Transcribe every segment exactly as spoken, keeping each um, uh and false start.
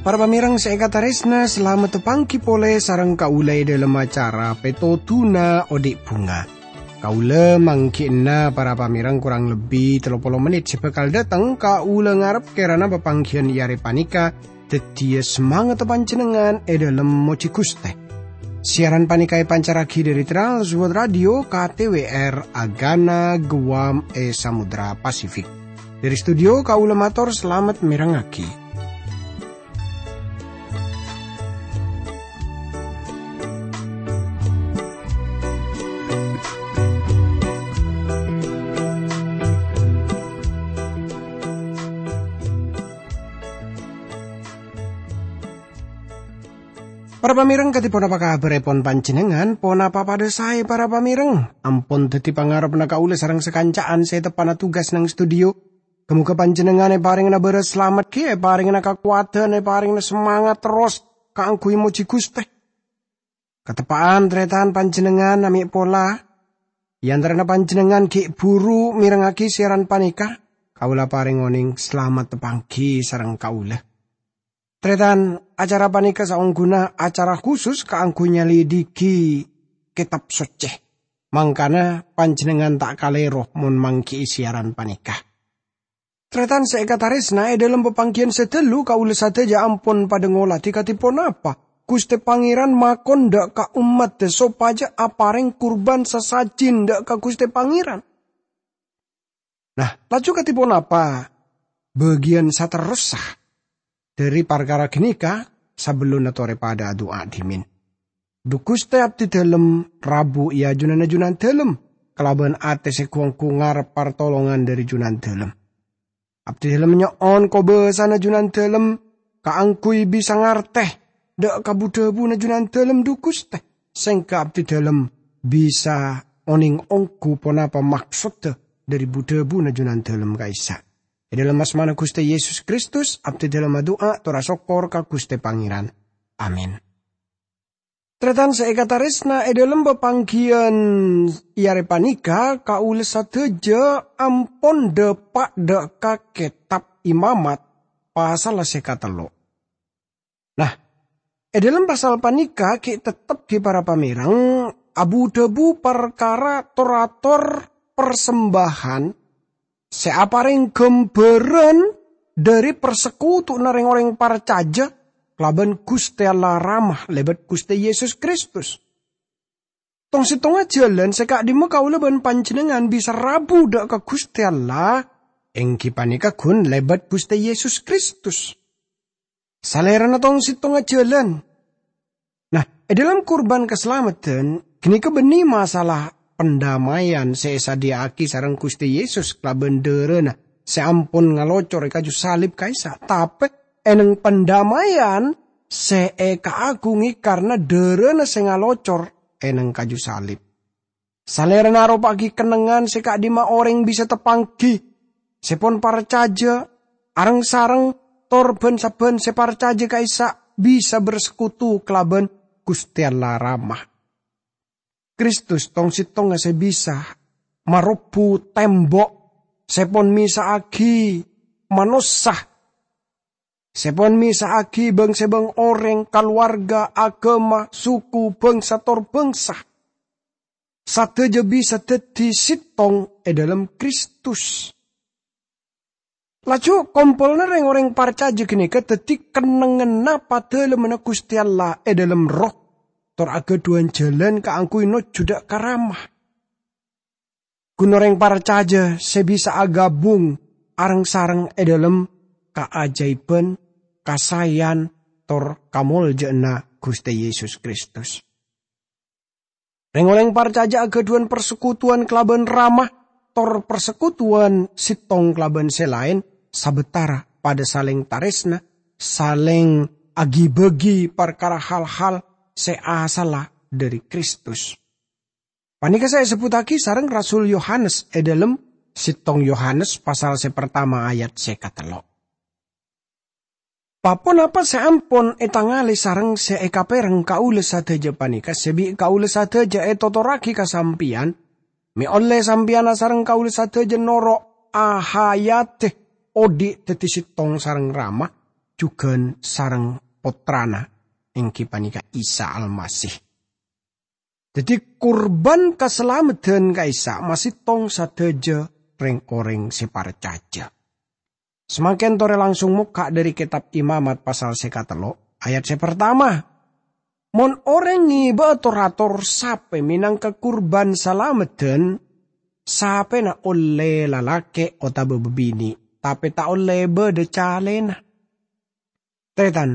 Para pamèrèng sè èkatarèsna, salamet panggi polè sareng kaulâ è dhâlem acara Pètodhuna Odi' Bhunga. Kaulâ mangghi'na para pamèrèng korang lebbi tello polo mennit sè bhâkal dâteng. Kaulâ ngarep kèrana papangghiyân è arè panèka dhâddhiyâ samangatta panjhennengngan è dhâlem mojhi Ghustè. Siaran panèka èpancarraghi dhâri Trans World Radio K T W R Agana Guam è Samudra Pasifik. Dhâri studio kaulâ mator salamet mèrengngaghi. Para pamèrèng, kadhi ponapa kabhârèpon panjhennengngan? Ponapa padhâ saè, para pamèrèng? Ampon dhâddhi pangarebbhâ kaulâ sareng sakanca'an sè teppa'na tugas neng studio. Ghâ-mogâ panjhennengngan èparèngana bârâs salamet, ghi' èparèngana kakowadhân, èparèngana samangat terros kaangghuy mojhi Ghustè. Kateppa'an, tarètan, panjhennengngan namè' pola. È antarana panjhennengngan ghi' bhuru mèrengngaghi siaran panèka, kaulâ parèng onèng salamet panggi sareng kaulâ. Tarètan, acara panèka saongghuna acara khusus kaangghuy nyalidhighi Kètab Soccè. Mangkana panjhennengngan ta' kalèro mon mangghi'i siaran panèka. Tarètan sè èkatarèsna, è dhâlem papangghiyân sè ghâllu kaulâ sadhâjâ ampon padhâ ngolatè kadhi ponapa Ghustè Pangèran makon dâ' ka ommaddhâ sopajâ aparèng kurban sasajin dâ' ka Ghustè Pangèran. Nah, laju kadhi ponapa bâgiyân saterrossa dhâri parkara ghânèka? Sabellunna torè padhâ adu'a dhimèn. Dhu Ghustè, abdhi dhâlem rabu è ajunanna Junandhâlem, kalabân atè sè ghu-ongghu ngarep partolongan dhâri Junandhâlem. Abdhi dhâlem nyo'on kobâsana Junandhâlem kaangghuy bisa ngartè dâ' ka bu-dhâbuna Junandhâlem, dhu Ghustè, sèngghâ abdhi dhâlem bisa onèng ongghu ponapa maksodda dhâri bu-dhâbuna Junandhâlem ka'issa'. È dhâlem asmana Ghustè Yesus Kristus, abdhi dhâlem adu'a tor asokkor ka Ghustè Pangèran. Amin. Tarètan sè èkatarèsna, è dhâlem papangghiyân è arè panèka, kaulâ sadhâjâ ampon dâpa' dâ' ka Kètab Imamat, pasalla sè katello'. Nah, è dhâlem pasal panèka ghi' teptep ghi para pamèrèng abu-dhâbu parkara tor-ator parsembahan sè aparèng ghâmbhârân dhâri parsekutuwanna rèng-orèng parcajâ kalabân Ghustè Allah Rama lèbât Ghustè Yesus Kristus. Tong-settongnga jhâlân sè ka'dimma kaulâ bân panjhennengngan bisa rabu dâ' ka Ghustè Allah, èngghi panèka ghun lèbât Ghustè Yesus Kristus. Salèrana tong-settongnga jhâlân. Nah, è dhâlem kurban kasalameddhân, ghânèka bânnè masalah pandamaian sè èsadhiyâ'aghi sareng Ghustè Yesus kalabân dhârâna sè ampon ngalocor è kaju salib ka'issa'. Tapè, èneng pandamaian sè èkaaghungè karna dhârâna sè ngalocor èneng kaju salib. Salèrana aropa'aghi kennengngan sè ka'dimma orèng bisa tapangghi, sè pon parcajâ, areng-sareng, tor bân-sabbhân sè parcajâ ka'issa' bisa bersekutu kalabân Ghustè Allah Rama. Kristus tong-settongnga sè bisa marobbu tèmbo' sè pon mèsa'aghi manossa, sè pon mèsa'aghi bâng-sebâng orèng, kalowarga, aghâma, suku, bhângsa, tor bhângsa. Sadhâjâ bisa dhâddhi sèttong è dhâlem Kristus. Laju, kompolanna rèng-orèng parcajâ ghânèka dhâddhi kennengnganna Padâlemmanna Ghustè Allah è dhâlem Erroh, tor aghâdhuwân jhâlân kaangghuy nojjhu dâ' ka Rama. Ghun orèng parcajâ sè bisa aghâbung areng-sareng è dhâlem kaajâibhân, kasaèyan, tor kamoljâ'ânna Ghustè Yesus Kristus. Rèng-orèng parcajâ aghâdhuwân parsekutuwan kalabân Rama, tor parsekutuwan sèttong kalabân sè laèn, sabâtara padâ salèng tarèsna, salèng aghi-bâghi parkara hal-hal sè asalla dhâri Kristus. Panèka sè èsebbhuttaghi sareng Rasul Yohanes è dhâlem sèttong Yohanes pasal sè partama ayat sè katello'. Pa-ponapa sè ampon ètangalè sareng sè èkapèrèng kaulâ sadhâjâ panèka sè bi' kaulâ sadhâjâ ètotorraghi ka sampèyan, mè' ollè sampèyan asareng kaulâ sadhâjâ noro' ahayadhi, odi' dhâddhi sèttong sareng Rama, jhughân sareng Pottrana, èngghi panèka Isa Almasih. Dhâddhi, kurban kasalameddhân ka'issa' masèttong sadhâjâ rèng-orèng sè parcajâ. Samangkèn torè langsung mokka' dhâri Kètab Imamat pasal sè katello', ayat sè partama. Mon orèng ngèbâ'â tor-ator sapè mènangka kurban salameddhân, sapèna ollè lalakè' otabâ bâbinè', tapè ta' ollè bâdâ calèna. Tarètan,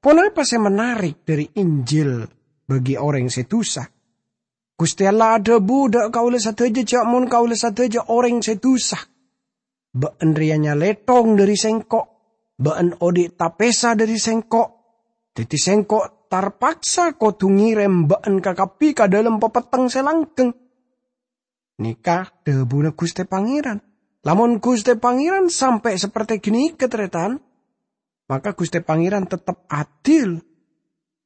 ponapa sè menarik dhâri Injil bagi orèng sè dusa? Ghustè Allah adhâbu dâ' kaulâ sadhâjâ jhâ' mon kaulâ sadhâjâ orèng sè dusa. Bâ'ân rèya nyalèthong dhâri Sèngko'. Bâ'ân odi' tapèsa dhâri Sèngko'. Dhâddhi Sèngko' tarpaksa kodhu ngèrèm bâ'ân kakabbhi ka dâlem papetteng sè langghâng. Nèka dhâbuna Ghustè Pangèran. Lamon Ghustè Pangèran sampè' sapertè ghânèka, tarètan, maka Ghustè Pangèran tettep adil,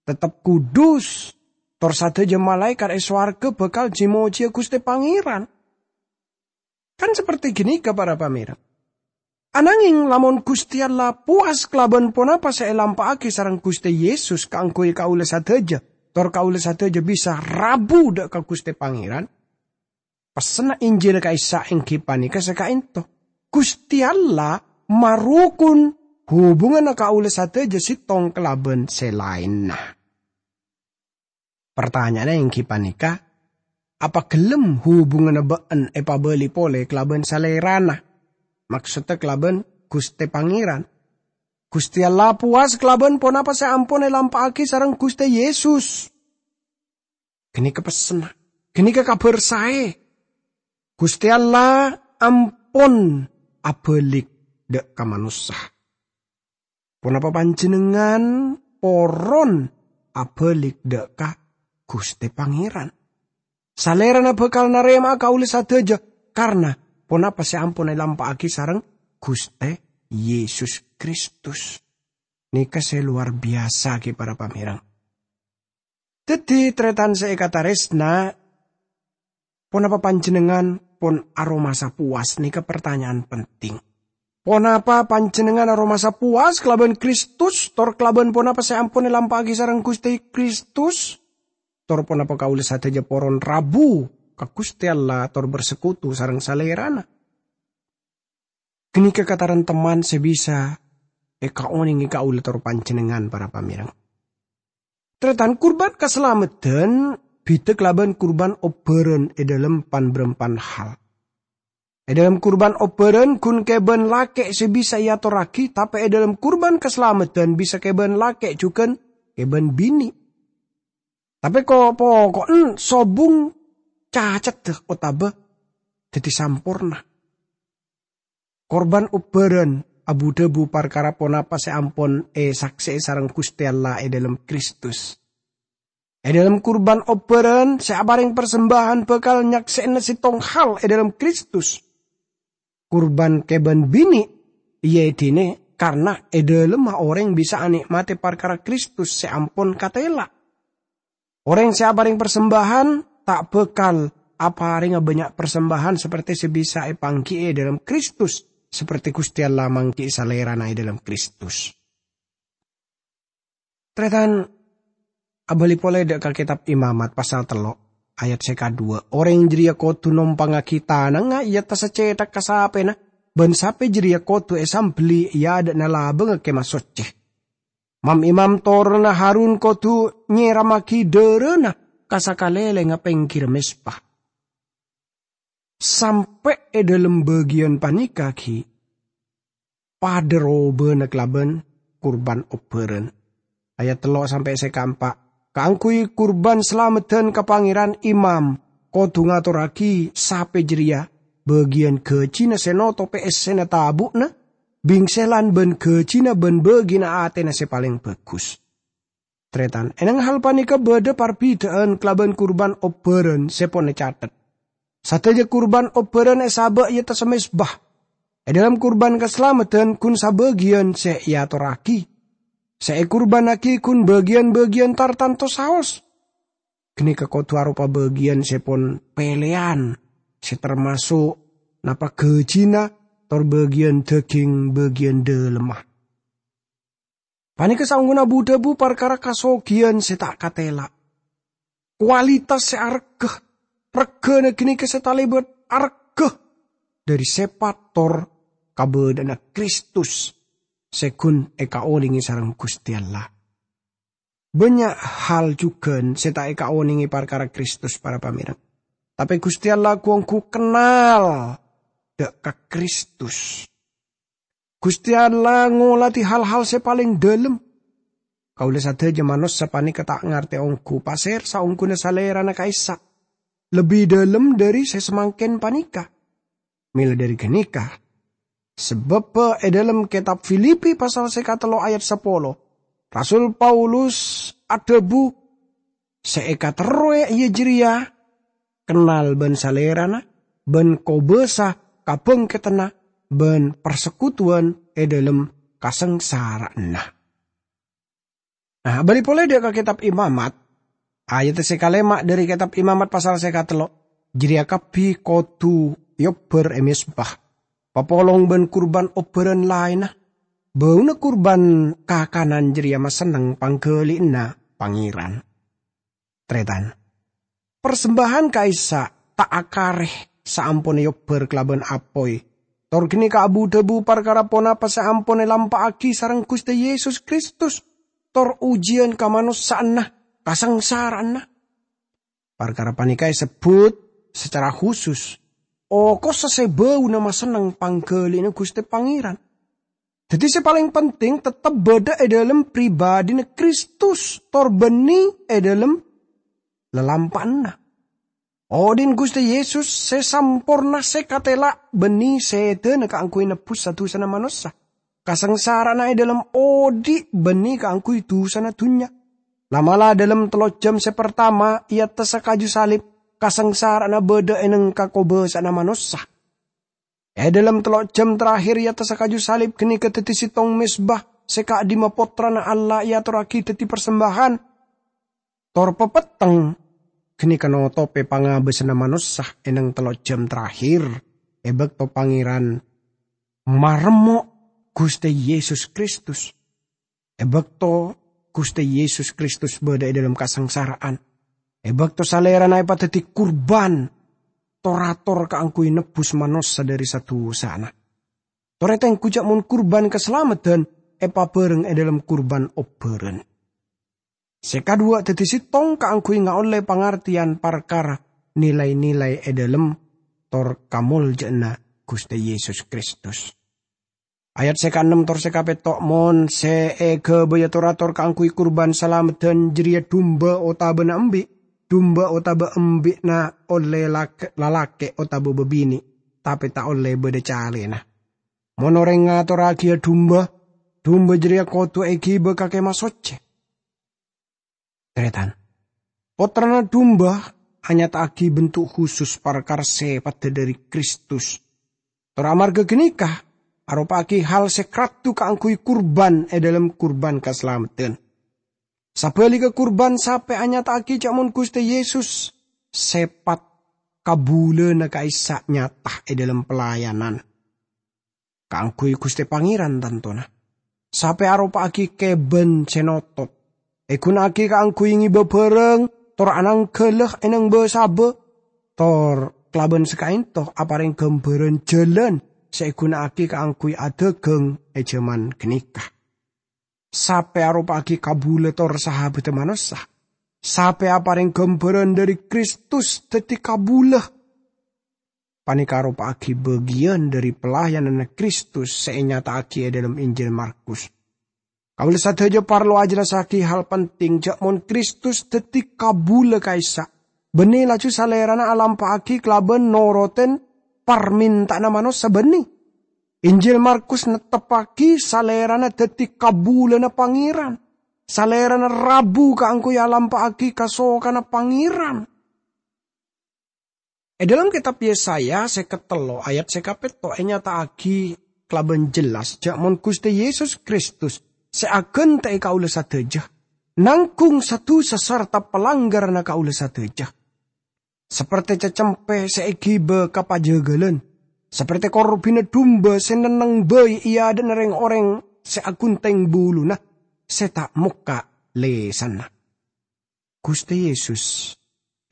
tettep kudus, tor sadhâjâ malaèkat è sowarghâ bhâkal jhi-mojhiyâ Ghustè Pangèran. Kan sapertè ghânèka, para pamèreng. Anangèng lamon Ghustè Allah powas kalabân ponapa sè èlampa'aghi sareng Ghustè Yesus kaangghuy kaulâ sadhâjâ, tor kaulâ sadhâjâ bisa rabu dâ' ka Ghustè Pangèran, pessenna Injil ka'issa' èngghi panèka sè ka'ènto. Ghustè Allah marokon hubunganna kaulâ sadhâjâ sèttong kalabân sè laènna. Partanya'anna èngghi panèka, apa ghellem hubunganna bâ'ân èpabâli polè kalabân Salèrana, maksodda kalabân Ghustè Pangèran? Ghustè Allah powas kalabân ponapa sè ampon èlampa'aghi sareng Ghustè Yesus. Ghânèka pessenna, ghânèka Kabhâr Saè. Ghustè Allah ampon abâli' dâ' ka manossa. Ponapa panjhennengngan poron abâli' dâ' ka Ghustè Pangèran? Salèrana bhâkal narèma'a kaulâ sadhâjâ, karna ponapa sè ampon èlampa'aghi sareng Ghustè Yesus Kristus. Nèka sè lowar biyasa, ghi, para pamèreng. Dhâddhi, tarètan sè èkatarèsna, ponapa panjhennengngan pon aromasa powas? Nèka partanya'an penting. Ponapa panjhennengngan aromasa powas kalabân Kristus, tor kalabân ponapa sè ampon èlampa'aghi sareng Ghustè Kristus? Tor ponapa kaulâ sadhâjâ poron rabu ka Ghustè Allah tor bersekutu sareng Salèrana? Ghânèka katarantemman sè bisa èkaonèngè kaulâ tor panjhennengngan, para pamèreng. Tarètan, kurban kasalameddhân bhidhâ kalabân kurban obbhârân è dhâlem pan-bârâmpan hal. È dhâlem kurban obbhârân ghun kèbân lakè' sè bisa èatorraghi, tapè è dhâlem kurban kasalameddhân bisa kèbân lakè' jhughân kèbân binè'. Tapè ko-, poko'en sobung cacaddhâ otabâ dhâddhi samporna. Kurban obbhârân abu-dhâbu parkara ponapa sè ampon èsaksè'è sareng Ghustè Allah è dhâlem Kristus. È dhâlem kurban obbhârân sè aparèng parsembâjân bhâkal nyaksè'ana sèttong hal è dhâlem Kristus. Kurban kèbân binè', iyâ è dinna karna è dhâlemma orèng bisa anè'matè parkara Kristus sè ampon katèla'. Orèng sè aparèng parsembâjân ta' bhâkal aparènga bânnya' parsembâjân sapertè sè bisa èpangghi'i è dhâlem Kristus, sapertè Ghustè Allah mangghi'i Salèrana è dhâlem Kristus. Tarètan, abâli polè dâ' ka Kètab Imamat pasal tello', ayat sè kadhuwâ', orèng jârèya kodhu nompangngaghi tanangnga è attassa cèthak ka sapèna, bân sapè jârèya kodhu èsambelli è adâ'na labângnga Kèma Soccè. Mam-imam toronna Harun kodhu nyèrammaghi dhârâna ka sakalèlèngnga pèngghirra mezbah. Sampè' è dhâlem bâgiyân panèka ghi' padâ robâna kalabân kurban obbhârân. Ayat tello' sampè' sè kaempa', kaangghuy kurban salameddhân ka Pangèran, imam kodhu ngatorraghi sapè jârèya bâgiyân ghâjina sè notopè essèna tabu'na, bingselan bân ghâjina bân bâgina atèna sè palèng bhâghus. Tarètan, è nèng hal panèka bâdâ parbidhâ'ân kalabân kurban obbhârân sè pon ècathet. Sadhâjâ kurban obbhârân èsabâ' è attassa mezbah. È dhâlem kurban kasalameddhân ghun sabâgiyân sè èatorraghi, sè èkurbânnaghi ghun bâgiyân-bâgiyân tartanto saos. Ghânèka kodhu aropa bâgiyân sè pon pèlèyan, sè tamaso' napa ghâjina tor bâgiyân dhâghing bâgiyân dhâlemma. Panèka saongghuna bu-dhâbu parkara kasoghiyân sè ta' katèla'. Kualitas sè aregghâ, regghâna ghânèka sè talèbât aregghâ dhâri sèpat tor kabâdâ'ânna Kristus sè ghun èkaolèngè sareng Ghustè Allah. Bânnya' hal jhughân sè ta' èkaonèngè parkara Kristus, para pamèreng. Tapè Ghustè Allah ghu-ongghu kennal dâ' ka Kristus. Ghustè Allah ngolatè hal-hal sè palèng dhâlem. Kaulâ sadhâjâ manossa panèka ta' ngartè ongghu pasèra saongghuna Salèrana ka'issa' lebbi dhâlem dhâri sè samangkèn panèka. Mèla dhâri ghânèka, sabâbbhâ è dhâlem kètab Filipi pasal sè katello ayat sapolo, Rasul Paulus adhâbu, "Sè èkaterrowè iyâ jârèya kennal bân Salèrana, bân kobâsa kabhângkeddhânna, bân parsekutuwân è dhâlem kasangsara'anna." Nah, abâli polè dâ' ka Kètab Imamat, ayat sè kalèma' dhâri Kètab Imamat pasal sè katello, jârèya kabbhi kodhu èobbhâr è mezbah, papolong bân kurbân obbhârân laènna. Bâuna kurbân kakanan jârèya masenneng pangghâli'ânna Pangèran. Tarètan. Parsembâhan ka'issa' ta' akarè saamponna èobbhâr kalabân apoy. Tor ghânèka abu-dhâbu parkara ponapa sè ampon èlampa'aghi sareng Ghustè Yesus Kristus, tor ojiyân kamanossa'anna, kasangsara'anna. Parkara panèka èsebbhut sacara khusus, okossa sè bâuna masenneng pangghâli'ânna Ghustè Pangèran. Dhâddhi, sè palèng penting tettep bâdâ è dhâlem pribadhina Kristus, tor bânnè è dhâlem lalampa'anna. Odi'na Ghustè Yesus sè samporna sè katèla' bânnè sèdhâna kaangghuy nebbhus sa-dusana manossa. Kasangsara'anna è dhâlem odi' bânnè kaangghuy dusana dhunnya. La'-mala' dhâlem tello' jam sè partama è attassa kaju salib, kasangsara'anna bâdâ è nèng kakobâsa'anna manossa. È dhâlem tello' jam terakhir è attassa kaju salib ghânèka dhâddhi sèttong mezbah sè ka'dimma Pottrana Allah èatorraghi dhâddhi parsembâhan. Tor papetteng ghânèka notopè pangabâsanna manossa è nèng tello' jam terakhir è bâkto Pangèran maremmo' Ghustè Yesus Kristus. È bâkto Ghustè Yesus Kristus bâdâ è dhâlem kasangsara'an, è bâkto Salèrana èpadhâddhi kurbân tor-ator kaangghuy nebbhus manossa dhâri sa-dusana. Tor ètengghu jâ' mon kurbân kasalameddhân èpabhâreng è dhâlem kurbân obbhârân. Sè kaduwâ' dhâddhi sèttong kaangghuy ngaollè pangartèyan parkara nilai-nilai è dhâlem tor kamoljâ'ânna Ghustè Yesus Kristus. Ayat sè kaennem tor sè kapètto', "Mon sè èghâbâyâ tor-ator kaangghuy kurbân salameddhân jârèya dumba otabâna embi', dumba otabâ embi'na ollè lak-, lalakè' otabâ bâbinè', tapè ta' ollè bâdâ calèna. Mon orèng ngatorraghiyâ dumba, dumba jârèya kodhu èghibâ ka Kèmah Soccè." Tarètan. Pottrana Dumba anyata'aghi bentuk khusus parkara sèpaddhâ dhâri Kristus. Tor amarghâ ghânèka, aropa'aghi hal sè kradhu kaangghuy kurbân è dhâlem kurbân kasalameddhân. Sabhâligghâ kurbân sapè anyata'aghi jâ' mon Ghustè Yesus sèpat kabulâna ka'issa' nyata è dhâlem pelayanan. Kaangghuy Ghustè Pangèran tantona. Sapè aropa'aghi kèbân sè notot. Èghuna'aghi kaangghuy ngèbâ bhârâng, tor ananggâlâ è nèng bâ-sabâ. Tor kalabân sakaènto aparèng ghâmbhârân jhâlân sè èghuna'aghi kaangghuy adhâghâng è jhâman ghânèka. Sapè aropa'aghi kabulâ tor sahabhâddhâ manossa. Sapè aparèng ghâmbhârân dhâri Kristus dhâddhi kabulâ. Panèka aropa'aghi bâgiyân dhâri pelayananna Kristus sè ènyata'aghi è dhâlem Injil Markus. Kaulâ sadhâjâ parlo ajhellassaghi hal penting, jâ' mon Kristus dhâddhi kabulâ ka'issa', bânnè laju Salèrana alampa'aghi kalabân norotan parmènta'anna manossa, bânnè. Injil Markus netteppaghi Salèrana dhâddhi kabulâna Pangèran. Salèrana rabu kaangghuy alampa'aghi kasokanna Pangèran. È dhâlem Kètab Yesaya sèket tello' ayat sè kapètto' ènyata'aghi kalabân jelas jâ' mon Ghustè Yesus Kristus sè aghântè'è kaulâ sadhâjâ, nangghung sa-dusa sarta palanggaranna kaulâ sadhâjâ. Saperte cacempe sè èghibâ ka pajâgâlân, saperte korbhina dumba sè nenneng bhâi è adâ'na rèng-orèng sè aghuntheng buluna, sè ta' mokka' lèsanna. Ghustè Yesus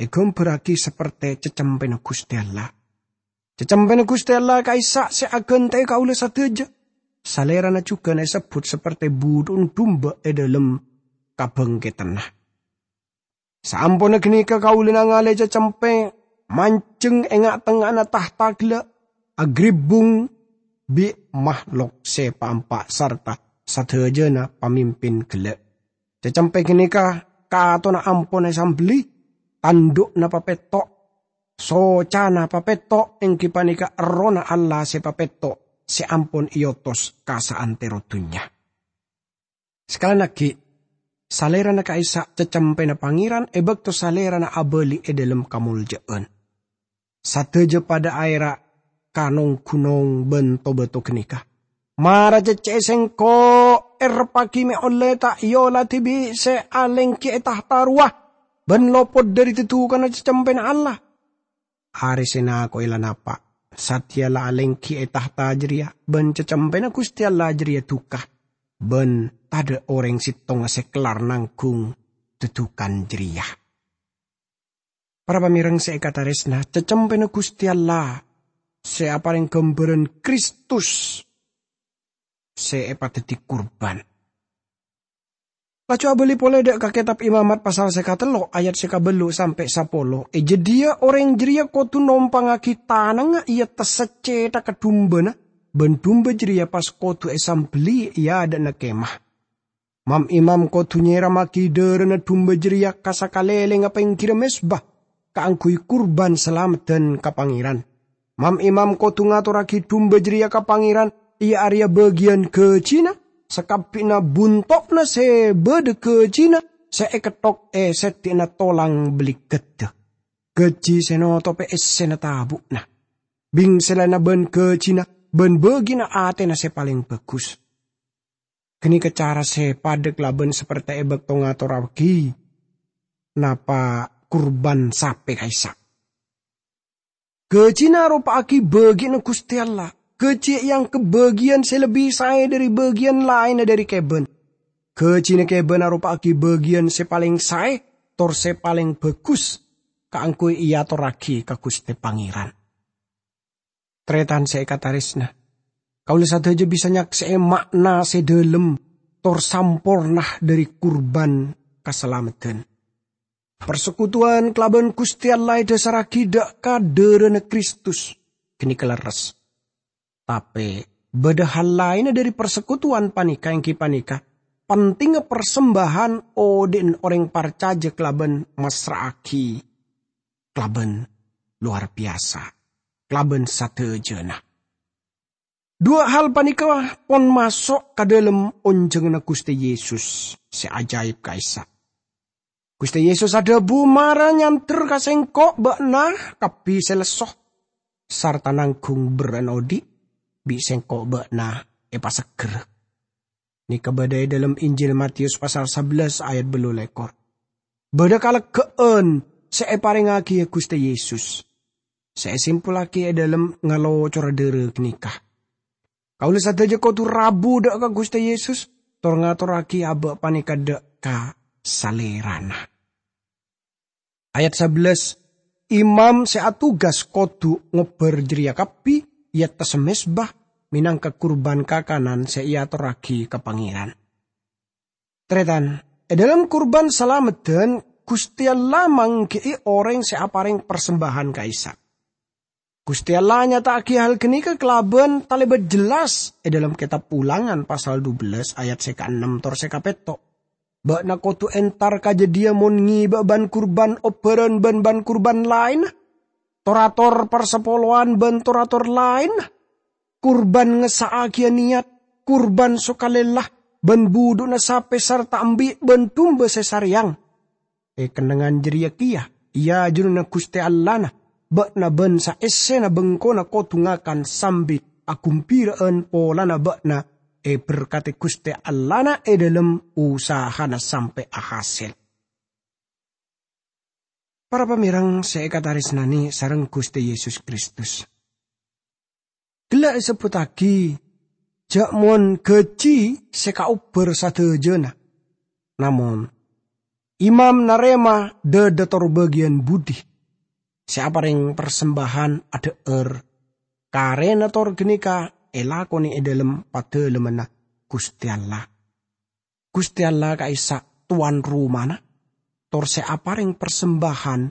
èghâmbhârraghi saperte cacempena Ghustè Allah. Cacempena Ghustè Allah ka'issa' sè aghântè'è kaulâ sadhâjâ. Salèrana jhughân èsebbhut saperte budhu'na dumba è dhâlem kabhângkeddhânna. Saamponna ghânèka kaulâ nangalè cacempe manjheng è nga'-tengnga'anna tahta ghellâ', aghribbung bi' mahlok sè pa-empa' sarta sadhâjâna pamimpin ghellâ'. Cacempe ghânèka katona ampon èsambelli, tandhu'na papetto', socana papetto', èngghi panèka Errohna Allah sè papetto' sè ampon èotos ka saantero dhunnya. Sakalèyan aghi', salèrana ka'issa' cacempena Pangèran è bâkto salèrana abâli è dhâlem kamoljâ'ân. Sadhâjâ padâ aèra' ka nong-ghunong bân to-bâto ghânèka, "Mara cèccè'è sèngko', èrebbhâghi mè' ollè ta' èola dhibi' sè alèngghi è tahta rowa bân lopot dhâri dhâdukanna cacempena Allah." Arè sè nako'è la napa', satèya la alèngghi è tahta jârèya, bân cacempena Ghustè Allah jârèya dhukka, bân tadâ' orèng sèttonga sè kellar nangghung dhâdukan jârèya. Para pamèreng sè èkatarèsna, cacempena Ghustè Allah sè aparèng ghâmbhârân Kristus sè èpadhâddhi kurban. Laju abâli polè dâ' ka Kètab Imamat pasal sè katello' ayat sè kabâllu' sampè' sapolo. È jâdiyâ orèng jârèya kodhu nompangngaghi tanangnga è attassa cèthagghâ dumbâna, bân dumba jârèya pas kodhu èsambelli è adâ'na kemah. Mam-imam kodhu nyèrammaghi dârâna dumba jârèya ka sakalèlèngnga pèngghirra mezba kaangghuy kurban salameddhân ka Pangèran. Mam-imam kodhu ngatorraghi dumba jârèya ka Pangèran, iyâ arèya bâgiyân ghâjina, sakabbhina bunto'na sè bâdâ ghâjina sè èketthok è seddi'na tolang bâligghâddhâ. Ghâji sè notobhi essèna tabu'na, bingsellanna bân ghâjina bân bâgiyânna atèna sè palèng bhâghus. Ghânèka cara sè padâ kalabân saperte è bâkto ngatorraghi napa kurban sapè ka'issa'. Ghâjina aropa'aghi bâgiyânna Ghustè Allah. Ghâji èangghep bâgiyân sè lebbi saè dhâri bâgiyân laènna dhâri kèbân. Ghâjina kèbân aropa'aghi bâgiyân sè palèng saè, tor sè palèng bhâghus kaangghuy èatorraghi ka Ghustè Pangèran. Tarètan sè èkatarèsna, kaulâ sadhâjâ bisa nyaksè'è ma'na sè dhâlem tor samporna dhâri kurban kasalameddhân. Parsekutuwan kalabân Ghustè Allah èdhâsarraghi dâ' ka dârâna Kristus, ghânèka lerres. Tapè, bâdâ hal laènna dhâri parsekutuwan panèka, èngghi panèka pentingnga parsembâhân odi'na orèng parcajâ kalabân massra'aghi kalabân lowar biyasa, kalabân sadhâjâna. Duwâ' hal panèka pon maso' ka dhâlem onjhânganna Ghustè Yesus sè ajaib ka'issa'. Ghustè Yesus adhâbu, "Mara nyandher ka Sèngko' bâ'na kabbhi sè lesso, sarta nangghung berrâ'na odi', bi' Sèngko' bâ'na èpasegghâr." Nèka bâdâ è dhâlem Injil Matius pasal sabellâs ayat bâllu lèkor. Bâdâ kaleggâ'ân sè èparèngaghi Ghustè Yesus, sè èsimpullaghi è dhâlem ngalocora dârâ ghânèka. Kaulâ sadhâjâ kodhu rabu dâ' ka Ghustè Yesus, tor ngatorraghi abâ' panèka dâ' ka Salèrana. Ayat sabellâs, "Imam sè atugas kodhu ngobbhâr jârèya kabbhi è attassa mezba mènangka kurban kakanan sè èatorraghi ka Pangèran." Tarètan, è dhâlem kurban salameddhân, Ghustè Allah mangghi'i orèng sè aparèng parsembâhân ka'issa'. Ghustè Allah nyata'aghi hal ghânèka kalabân talèbât jelas è dhâlem Kètab Ulangan pasal dubellâs ayat sè kaennem tor sè kapètto'. "Bâ'na kodhu entar ka jâdiyâ mon ngèbâ ban-kurban obbhârân bân ban-kurban laènna, tor-ator parsapolowan bân tor-ator laènna, kurban ngessa'aghiyâ nèyat, kurban sokalèlla, bân budhu'na sapè sarta embi' bân dumba sè sarèyang. È kennengngan jârèya kèya, è ajunanna Ghustè Allahna, bâ'na bân saèssèna bengkona kodhu ngakan sambi aghumbira'an polana bâ'na èberkadhi Ghustè Allahna è dhâlem usahana sampè' ahasèl. Para pamèrèng sè èkatarèsnanè sareng Ghustè Yesus Kristus, ghellâ' èsebbhuttaghi jhâ' mon ghâji sè kaobbhâr sadhâjâna. Namong, imam narèma dhâdhâ tor bâgiyân budi sè aparèng parsembâhân adhâ'âr. Karèna tor ghânèka èlakonè è dhâlem padâlemmanna Ghustè Allah. Ghustè Allah ka'issa' towan romana, tor sè aparèng parsembâhân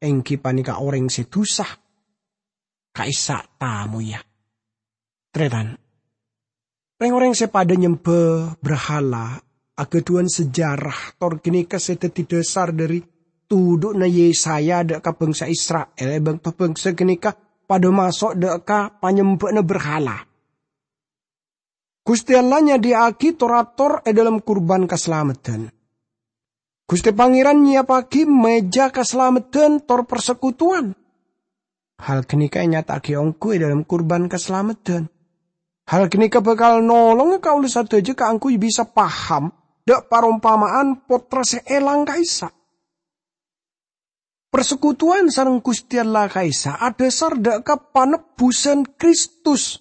èngghi panèka orèng sè dhusa, ka'issa' tamoyya. Tarètan, rèng-orèng sè padâ nyembhâ brahala aghâdhuwân sejarah tor ghânèka sè dhâddhi dhâsar dhâri tudhu'na Yesaya dhâ' ka bhângsa Isra'il è bâkto bhângsa ghânèka padâ maso' dhâ' ka panyembhâ'na brahala. Ghustè Allah nyadhiyâ'aghi tor-ator è dhâlem kurban kasalameddhân. Ghustè Pangèran nyiyappaghi mèja kasalameddhân tor parsekutuwan. Hal ghânèka ènyata'aghi ongghu è dhâlem kurban kasalameddhân. Hal ghânèka bhâkal nolonga kaulâ sadhâjâ kaangghuy bisa paham dhâ' parompama'an pottra sè èlang ka'issa'. Parsekutuwan sareng Ghustè Allah ka'issa' adhâsar dhâ' ka panebbhusân Kristus.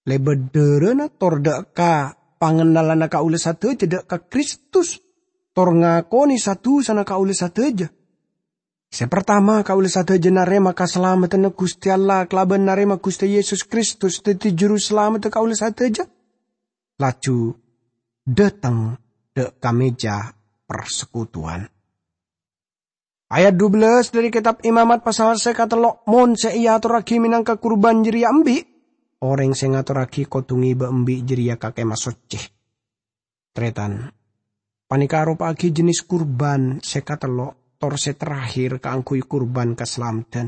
Lèbât dhârâna tor dhâ' ka pangennalanna kaulâ sadhâjâ dhâ' ka Kristus, tor ngakonè sa-dhusana kaulâ sadhâjâ. Sè partama, kaulâ sadhâjâ narèma kasalamedhdhânna Ghustè Allah kalabân narèma Ghustè Yesus Kristus dhâddhi Juru Salameddhâ kaulâ sadhâjâ, laju dhâteng dhâ' ka mèja parsekutuwan. Ayat dubellâs dhâri Kètab Imamat pasal sè katello', "Mon sè èatorraghi mènangka kurban jârèya embi', orèng sè ngatorraghi kodhu ngèbâ embi' jârèya ka Kèmah Soccè." Tarètan, panèka aropa'aghi jhânès kurban sè katello' tor sè terakhir kaangghuy kurban kasalameddhân.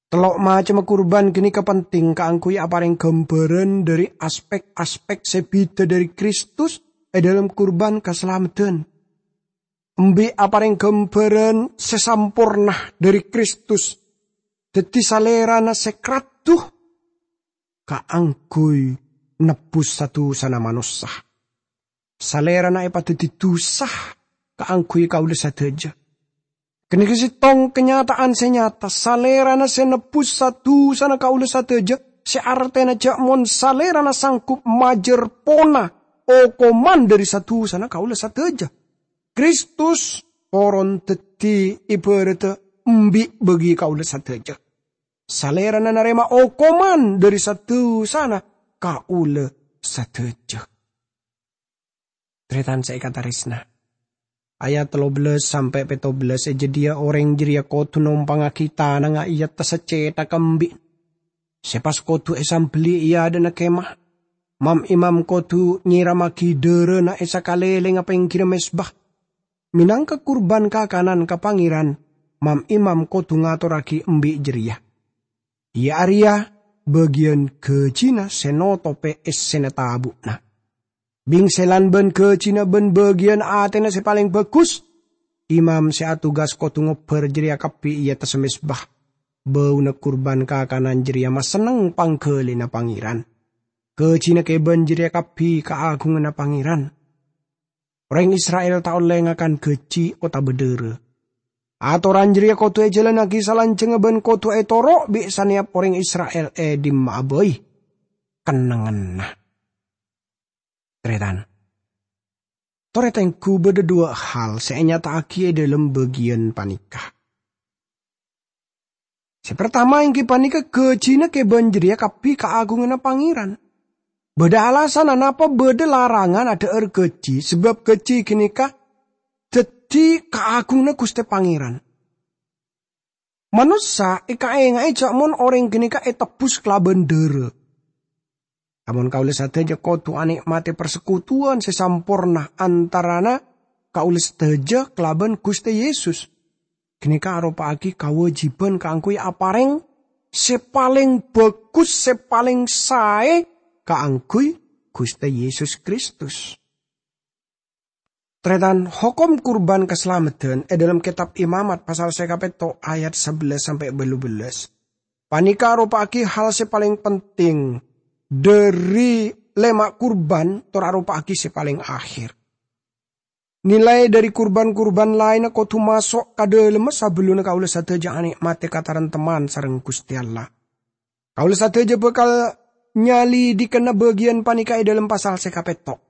Tello' macemma kurban ghânèka penting kaangghuy aparèng ghâmbhârân dhâri aspèk-aspèk sè bhidhâ dhâri Kristus è dhâlem kurban kasalameddhân. Embi' aparèng ghâmbhârân sè samporna dhâri Kristus, dhâddhi Salèrana sè kradhu kaangghuy nebbhus sa-dhusana manossa. Salèrana èpadhâddhi dhusa kaangghuy kaulâ sadhâjâ. Ghânèka sèttong kanyata'an sè nyata, Salèrana sè nebbhus sa-dhusana kaulâ sadhâjâ, sè artèna jhâ' mon Salèrana sanggup majâr pona okoman dhâri sa-dhusana kaulâ sadhâjâ. Kristus poron dhâddhi èbhârâddhâ embi' bâgi kaulâ sadhâjâ. Salèrana narèma okoman dhâri sa-dhusana kaulâ sadhâjâ. Tarètan sè èkatarèsna, ayat tello bellâs sampè' pètto bellâs è jâdiyâ orèng jârèya kodhu nompangngaghi tanangnga è attassa cèthagghâ embi' sè pas kodhu èsambelli è adâ'na kemah. Mam-imam kodhu nyèrammaghi dhârâna è sakalèlèngnga pèngghirra mezba. Mènangka kurban kakanan ka Pangèran, mam-imam kodhu ngatorraghi embi' jârèya. Iyâ arèya bâgiyân ghâjina sè notopè essèna tabu'na. Bingselan bân ghâjina bân bâgiyân atèna sè palèng bhâghus, imam sè atugas kodhu ngobbhâr jârèya kabbhi è attassa mezba. Bâuna kurban kakanan jârèya masenneng pangghâlina Pangèran. Ghâjina kèbân jârèya kabbhi kaagunganna Pangèran. Orèng Isra'il ta' ollè ngakan ghâji otabâ dhârâ. Atoran jârèya kodhu èjhâlânnaghi salanjhângnga bân kodhu ètoro' bi' sanèyap orèng Isra'il è dimma'a bhâi kennengnganna. Tarètan, torè tengghu bâdâ duwâ' hal sè ènyata'aghi è dhâlem bâgiyân panèka. Sè partama èngghi panèka ghâjina kèbân jârèya kabbhi kaagunganna Pangèran. Bâdâ alasanna napa bâdâ larangan adhâ'âr ghâji, sabâb ghâji ghânèka dhâddhi kaagunganna Ghustè Pangèran. Manossa èkaènga'è jhâ' mon orèng ghânèka ètebbhus kalabân dhârâ. Amon kaulâ sadhâjâ kodhu anè'matè parsekutuwan sè samporna antarana kaulâ sadhâjâ kalabân Ghustè Yesus, ghânèka aropa'aghi kawâjibhân kaangghuy aparèng sè palèng bhâghus, sè palèng saè kaangghuy Ghustè Yesus Kristus. Tarètan, hokom kurban kasalameddhân è dhâlem Kètab Imamat pasal sè kapètto' ayat sabellâs sampè' bâllu bellâs. Panèka aropa'aghi hal sè palèng penting dhâri lèma' kurban tor aropa'aghi sè palèng akhèr. Nilai dhâri kurban-kurban laènna kodhu maso' ka dhâlemma sabellunna kaulâ sadhâjâ anè'matè katarèmtemman sareng Ghustè Allah. Kaulâ sadhâjâ bhâkal nyalèdhighâna bâgiyân panèka è dhâlem pasal sè kapètto'.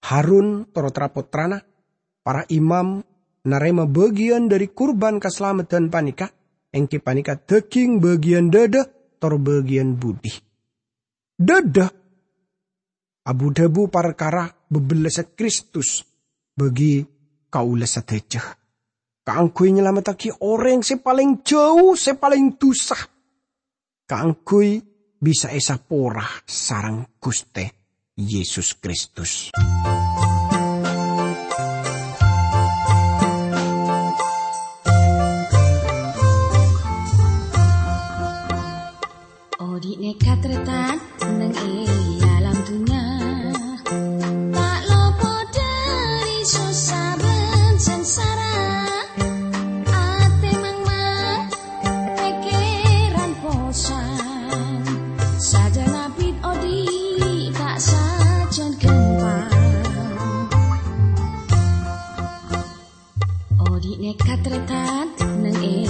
Harun tor tra-pottrana, para imam, narèma bâgiyân dhâri kurban kasalameddhân panèka, èngghi panèka dhâghing bâgiyân dhâdhâ tor bâgiyân budi. Dhâdhâ abu-dhâbu parkara bâbellâssa Kristus bagi kaulâ sadhâjâ, kaangghuy nyalamettaghi orèng sè palèng jhâu, sè palèng dhusa, kaangghuy bisa èsapora sareng Ghustè Yesus Kristus. Odi' nèka tarètan neng è alam dunnya, ta' lopot dhâri sossa bân sangsara. Atè mangmang, pèkkèran posang, sajân abit odi' ta' sajân ghâmpang. Odi' nèka tarètan neng è